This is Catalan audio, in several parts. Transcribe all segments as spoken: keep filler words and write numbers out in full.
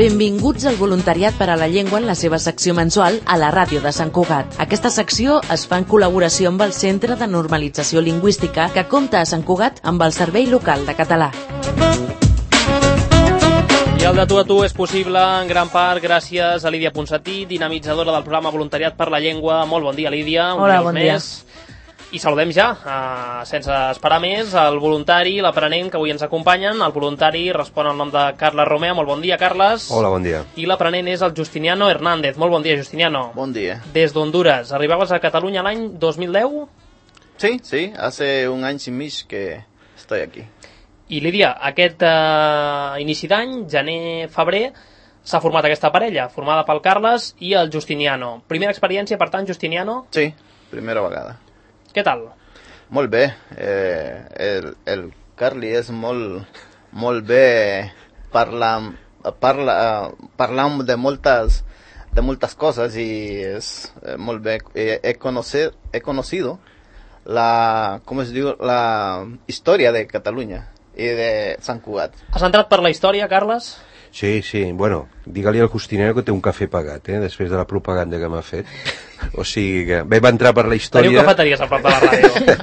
Benvinguts al Voluntariat per a la Llengua en la seva secció mensual a la ràdio de Sant Cugat. Aquesta secció es fa en col·laboració amb el Centre de Normalització Lingüística que compta a Sant Cugat amb el Servei Local de Català. I el de tu a tu és possible en gran part gràcies a Lídia Ponsatí, dinamitzadora del programa Voluntariat per la Llengua. Molt bon dia, Lídia. Hola, bon dia. I saludem ja, uh, sense esperar més, el voluntari, l'aprenent que avui ens acompanyen. El voluntari respon al nom de Carles Romea. Molt bon dia, Carles. Hola, bon dia. I l'aprenent és el Justiniano Hernández. Molt bon dia, Justiniano. Bon dia. Des d'Honduras. Arribaves a Catalunya l'any dos mil deu? Sí, sí, hace un any i mig que estoy aquí. I Lídia, aquest uh, inici d'any, gener-febrer, s'ha format aquesta parella, formada pel Carles i el Justiniano. Primera experiència, per tant, Justiniano? Sí, primera vegada. Què tal? Molt bé. Eh, el, el Carli és molt, molt bé parlant, parla, parlant de moltes, de moltes coses i és eh, molt bé. He, he, conocer, he conocido la, com es diu, la història de Catalunya i de Sant Cugat. Has entrat per la història, Carles? Sí, sí, bueno, digue-li al Justinero que té un cafè pagat, eh, després de la propaganda que m'ha fet. O sigui que vam entrar per la història... Teniu cafeteries a prop de la ràdio.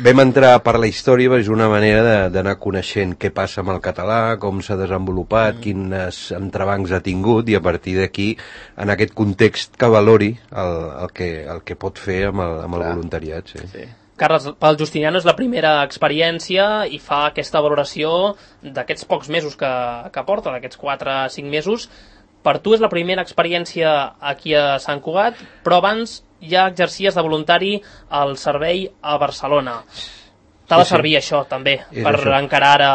Vam entrar per la història, és una manera d'anar coneixent què passa amb el català, com s'ha desenvolupat, mm. quins entrebancs ha tingut, i a partir d'aquí, en aquest context, que valori el, el, que, el que pot fer amb el, amb el voluntariat. Sí. Sí. Carles, pel Justiniano és la primera experiència i fa aquesta valoració d'aquests pocs mesos que, que porta, d'aquests quatre o cinc mesos. Per tu és la primera experiència aquí a Sant Cugat, però abans ja exercies de voluntari al servei a Barcelona. T'ha de servir sí, sí. això, també, és per això. Encarar ara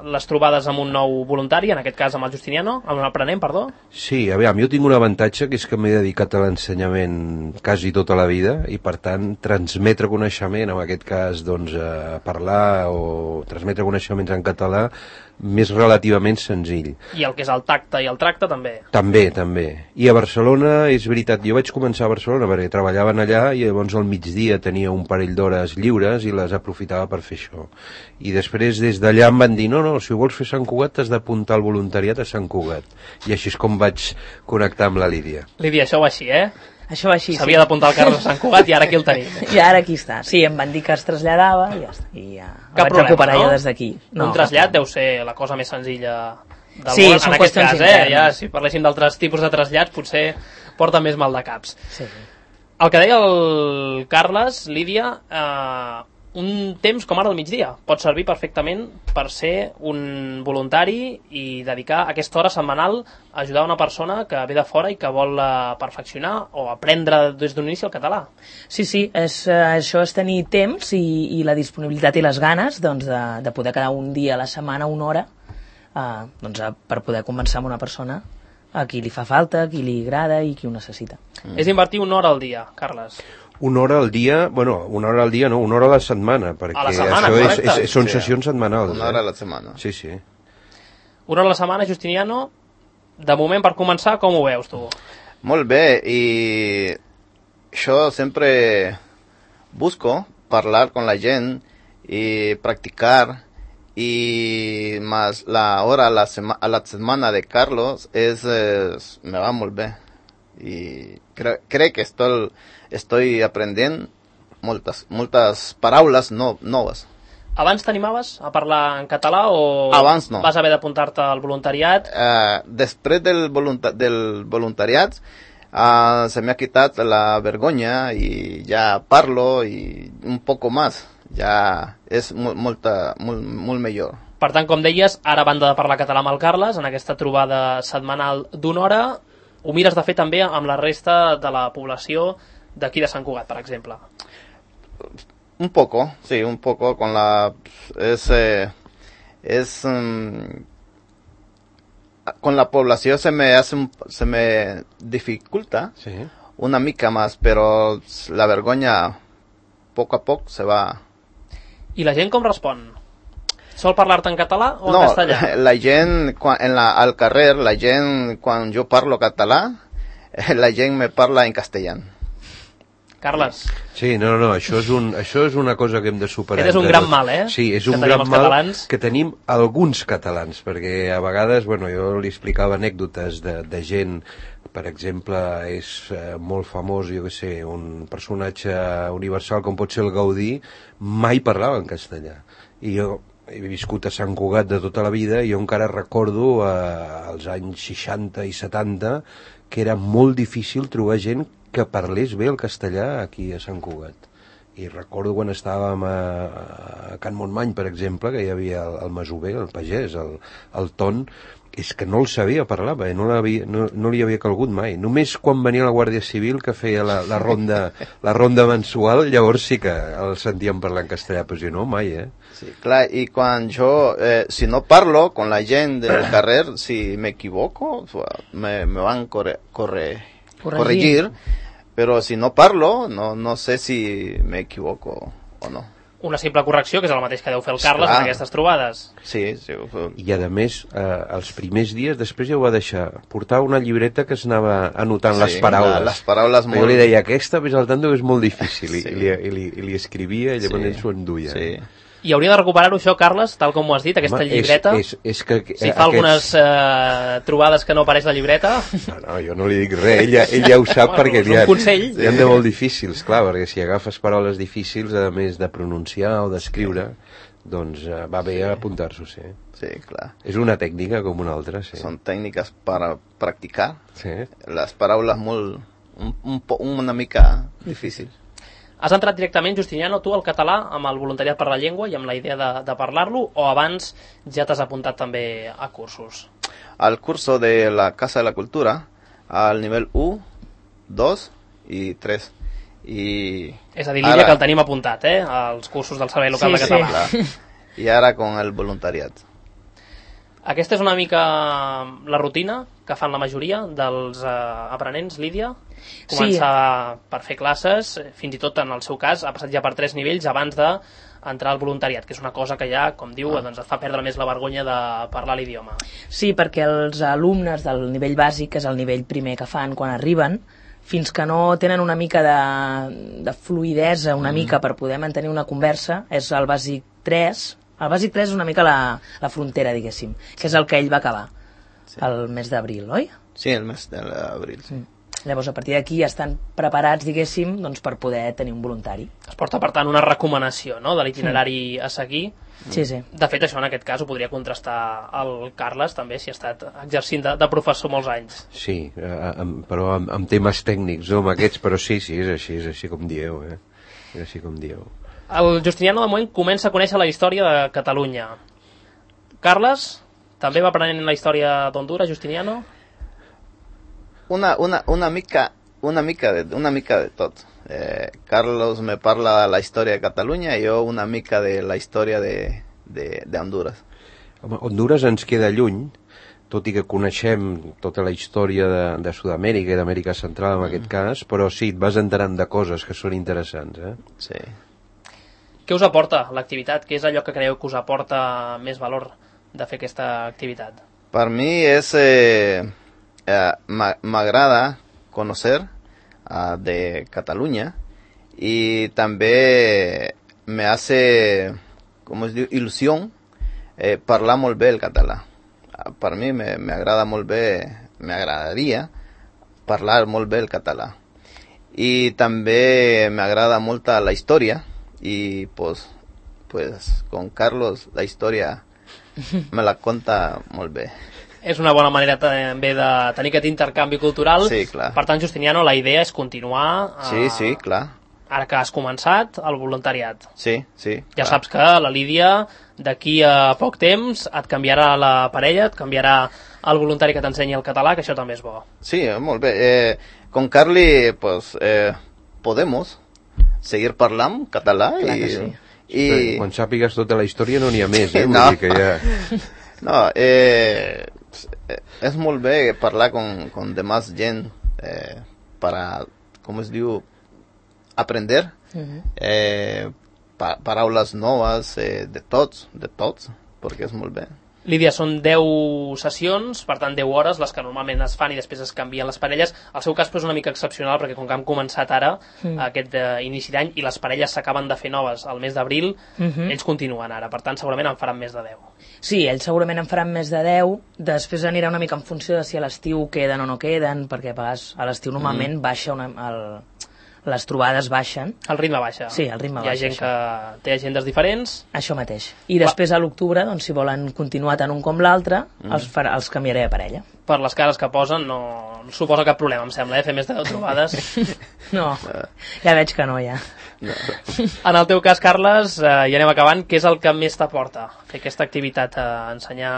les trobades amb un nou voluntari, en aquest cas amb el Justiniano, amb un aprenent, perdó? Sí, a veure, jo tinc un avantatge, que és que m'he dedicat a l'ensenyament quasi tota la vida, i per tant, transmetre coneixement, en aquest cas, doncs, a parlar o transmetre coneixements en català, més relativament senzill. I el que és el tacte i el tracte, també? També, també. I a Barcelona, és veritat, jo vaig començar a Barcelona perquè treballaven allà i llavors al migdia tenia un parell d'hores lliures i les aprofitava per fer això. I després des d'allà em van dir, no, no, si vols fer Sant Cugat t'has d'apuntar al voluntariat a Sant Cugat. I així és com vaig connectar amb la Lídia. Lídia, això va així, eh? Això va així, sí. S'havia d'apuntar el Carles a Sant Cugat i ara aquí el tenim. I ara aquí està. Sí, em van dir que es traslladava i ja està. I ja Cap vaig problema, recuperar no? ja des d'aquí. No, un trasllat deu ser la cosa més senzilla del sí, món. En aquest cas, eh? Ja, si parléssim d'altres tipus de trasllats, potser porta més mal de caps. Sí. El que deia el Carles, Lídia, eh, un temps com ara al migdia pot servir perfectament per ser un voluntari i dedicar aquesta hora setmanal a ajudar una persona que ve de fora i que vol perfeccionar o aprendre des d'un inici el català. Sí, sí, és, això és tenir temps i, i la disponibilitat i les ganes doncs, de, de poder quedar un dia a la setmana, una hora, eh, doncs, per poder conversar amb una persona a qui li fa falta, a qui li agrada i qui ho necessita. Mm. És invertir una hora al dia, Carles. Una hora al dia, bueno, una hora al dia no, una hora a la setmana, perquè a la setmana, això és, és, és, són sí, sessions setmanals. Una hora a la setmana. Sí, sí. Una hora a la setmana, Justiniano, de moment per començar, com ho veus tu? Molt bé, i jo sempre busco parlar con la gent i practicar, i más la hora a la, sema, a la setmana de Carlos és, és, me va molt bé. I cre crec que estoy, estoy aprenent moltes, moltes paraules no, noves. Abans t'animaves a parlar en català o Abans no. vas haver d'apuntar-te al voluntariat? Uh, després del, volunta del voluntariat uh, se me ha quitat la vergonya i ja parlo i un poco más. Ja és molt, molt, molt millor. Per tant, com deies, ara a banda de parlar català amb el Carles, en aquesta trobada setmanal d'una hora, ho mires de fer també amb la resta de la població d'aquí de Sant Cugat, per exemple? Un poco, sí, un poco con la... Es, eh, es um, con la población se me hace un, se me dificulta sí. una mica más, pero la vergonya poco a poco se va. I la gent com respon? Sol parlar-te en català o no, en castellà? No, la gent, quan, en la, al carrer, la gent, quan jo parlo català, la gent me parla en castellà. Carles. Sí, no, no, no, això és, un, això és una cosa que hem de superar. Aquest és un gran mal, eh? Sí, és que un gran mal catalans. que tenim alguns catalans, perquè a vegades, bueno, jo li explicava anècdotes de, de gent, per exemple, és eh, molt famós, jo què sé, un personatge universal com pot ser el Gaudí, mai parlava en castellà. I jo he viscut a Sant Cugat de tota la vida i jo encara recordo eh, als anys seixanta i setanta que era molt difícil trobar gent que parlés bé el castellà aquí a Sant Cugat. I recordo quan estàvem a, a Can Montmany, per exemple, que hi havia el, el masover, el pagès, el, el Ton, és que no el sabia parlar, bé, no, no, no li havia calgut mai. Només quan venia la Guàrdia Civil, que feia la, la, ronda, la ronda mensual, llavors sí que el sentíem parlar en castellà, però si no, mai, eh? Sí, clar, i quan jo, eh, si no parlo con la gent del carrer, si me equivoco, me, me van corre, corre, corregir, però si no parlo, no, no sé si me equivoco o no. Una simple correcció, que és el mateix que deu fer el Carles en aquestes trobades. Sí, sí. I a més, eh, els primers dies, després ja ho va deixar, portar una llibreta que es anava anotant sí, les paraules. La, les paraules molt... Jo li deia, aquesta, ves al tanto, que és molt difícil, sí. i, li, i, li, i li escrivia, i llavors sí. ell s'ho enduia. Sí. I hauria de recuperar-ho això, Carles, tal com ho has dit, aquesta Home, llibreta. És, és, és que, si fa aquests... algunes eh, trobades que no apareix la llibreta... No, no, jo no li dic res, ell ja, ell ja ho sap bueno, perquè hi ha, hi ha de molt difícils, clar, perquè si agafes paraules difícils, a més de pronunciar o d'escriure, sí. doncs eh, va bé sí. apuntar-s'ho, sí. Sí, clar. És una tècnica com una altra, sí. Són tècniques per a practicar. Sí. Les paraules molt... Un, un, una mica difícil. Has entrat directament, Justiniano, tu al català amb el voluntariat per la llengua i amb la idea de, de parlar-lo, o abans ja t'has apuntat també a cursos? Al curso de la Casa de la Cultura, al nivell u, dos i tres. I és a dir, l'Illa, que el tenim apuntat, eh? Els cursos del Servei Local sí, de Català. Sí. I ara con el voluntariat. Aquesta és una mica la rutina que fan la majoria dels eh, aprenents, Lídia? Començar sí. per fer classes, fins i tot en el seu cas ha passat ja per tres nivells abans d'entrar al voluntariat, que és una cosa que ja, com diu, ah. doncs et fa perdre més la vergonya de parlar l'idioma. Sí, perquè els alumnes del nivell bàsic, que és el nivell primer que fan quan arriben, fins que no tenen una mica de, de fluidesa, una mm. mica per poder mantenir una conversa, és el bàsic tres. El bàsic tres és una mica la, la frontera, diguéssim, que és el que ell va acabar sí. el mes d'abril, oi? Sí, el mes d'abril, sí. Mm. Llavors, a partir d'aquí ja estan preparats, diguéssim, doncs, per poder tenir un voluntari. Es porta, per tant, una recomanació, no?, de l'itinerari sí. a seguir. Sí, sí. De fet, això en aquest cas ho podria contrastar el Carles, també, si ha estat exercint de, de professor molts anys. Sí, eh, amb, però amb, amb temes tècnics, no amb aquests, però sí, sí, és així, és així com dieu, eh? És així com dieu. El Justiniano, de moment, comença a conèixer la història de Catalunya. Carles, també va aprenent la història d'Honduras, Justiniano? Una, una, una mica, una mica de, una mica de tot. Eh, Carlos me parla de la història de Catalunya i jo una mica de la història de, de, de Honduras. Home, Honduras ens queda lluny, tot i que coneixem tota la història de, de Sud-amèrica i d'Amèrica Central en mm. aquest cas, però sí, et vas enterant de coses que són interessants, eh? Sí. Què us aporta l'activitat? Què és allò que creieu que us aporta més valor de fer aquesta activitat? Per mi és... Eh, eh, m'agrada conocer uh, de Catalunya y también me hace, com es diu, il·lusió eh, parlar molt bé el català. Uh, per mi me, me agrada molt bé, me agradaria parlar molt bé el català. Y també me agrada molt la història y pues, pues con Carlos la història me la conta molt bé. És una bona manera també de tenir aquest intercanvi cultural. Sí, clar. Per tant, Justiniano, la idea és continuar... Eh, sí, sí, clar. Ara que has començat, el voluntariat. Sí, sí. Ja clar. Saps que la Lídia, d'aquí a poc temps, et canviarà la parella, et canviarà el voluntari que t'ensenyi el català, que això també és bo. Sí, molt bé. Eh, con Carly, pues, eh, podemos seguir parlant català. Clar i, que sí. I... Quan sàpigues tota la història no n'hi ha més, eh? Vull no. dir que ja... No, eh... és molt bé parlar con, con demás gent eh, para, com es diu, aprender uh-huh. eh, pa, paraules noves eh, de tots, de tots, perquè és molt bé. Lídia, són deu sessions, per tant deu hores, les que normalment es fan i després es canvien les parelles. El seu cas però, és una mica excepcional perquè com que hem començat ara mm. aquest uh, inici d'any i les parelles s'acaben de fer noves al mes d'abril, mm-hmm. ells continuen ara, per tant segurament en faran més de deu. Sí, ells segurament en faran més de deu, després anirà una mica en funció de si a l'estiu queden o no queden, perquè a vegades a l'estiu normalment mm. baixa una, el, les trobades baixen. El ritme baixa. Sí, el ritme Hi ha baixa. gent això. que té agendes diferents. Això mateix. I després a l'octubre, doncs, si volen continuar tant un com l'altre, mm. els, farà, els canviaré de parella. Per les cares que posen no, no suposa cap problema, em sembla, eh? Fer més de deu trobades. No, ja veig que no, ja. No. En el teu cas, Carles, eh, ja anem acabant, què és el que més t'aporta fer aquesta activitat, a ensenyar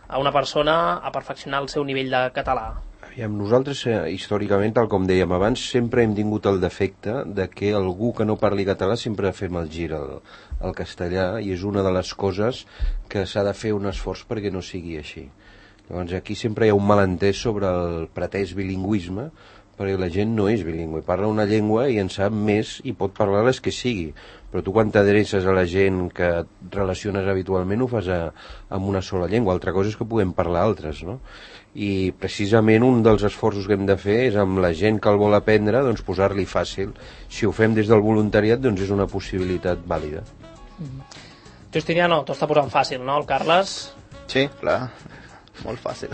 a una persona a perfeccionar el seu nivell de català? Aviam, nosaltres, eh, històricament, tal com dèiem abans, sempre hem tingut el defecte de que algú que no parli català sempre fem el gir al, al castellà, i és una de les coses que s'ha de fer un esforç perquè no sigui així. Llavors aquí sempre hi ha un malentès sobre el pretès bilingüisme, perquè la gent no és bilingüe, parla una llengua i en sap més i pot parlar les que sigui, però tu quan t'adreces a la gent que et relaciones habitualment ho fas a, amb una sola llengua, altra cosa és que puguem parlar altres, no? I precisament un dels esforços que hem de fer és amb la gent que el vol aprendre, doncs posar-li fàcil. Si ho fem des del voluntariat, doncs és una possibilitat vàlida. Mm-hmm. Justiniano, t'ho està posant fàcil, no, el Carles? Sí, clar, molt fàcil.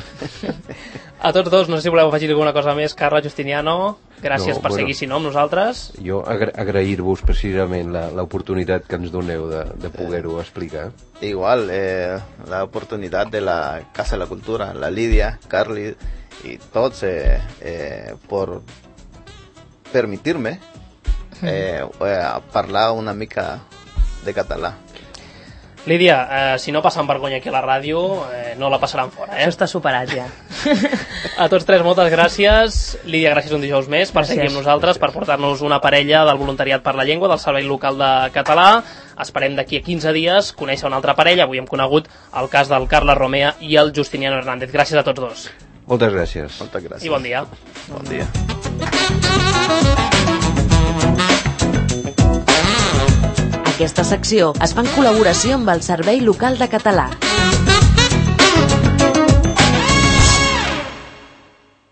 A tots dos, no sé si voleu afegir alguna cosa més, Carles, Justiniano, gràcies no, per bueno, seguir, si no, amb nosaltres. Jo agra agrair-vos precisament l'oportunitat que ens doneu de, de poder-ho explicar. Igual, eh, la oportunidad de la Casa de la Cultura, la Lidia, Carly y todos eh, eh, por permitirme eh, eh, parlar una mica de català. Lídia, eh, si no passen vergonya aquí a la ràdio, eh, no la passaran fora, eh? Això està superat, ja. A tots tres, moltes gràcies. Lídia, gràcies un dijous més per gràcies. seguir amb nosaltres, per portar-nos una parella del Voluntariat per la Llengua, del Servei Local de Català. Esperem d'aquí a quinze dies conèixer una altra parella. Avui hem conegut el cas del Carles Romea i el Justiniano Hernández. Gràcies a tots dos. Moltes gràcies. Moltes gràcies. I bon dia. Bon dia. Aquesta secció es fa en col·laboració amb el Servei Local de Català.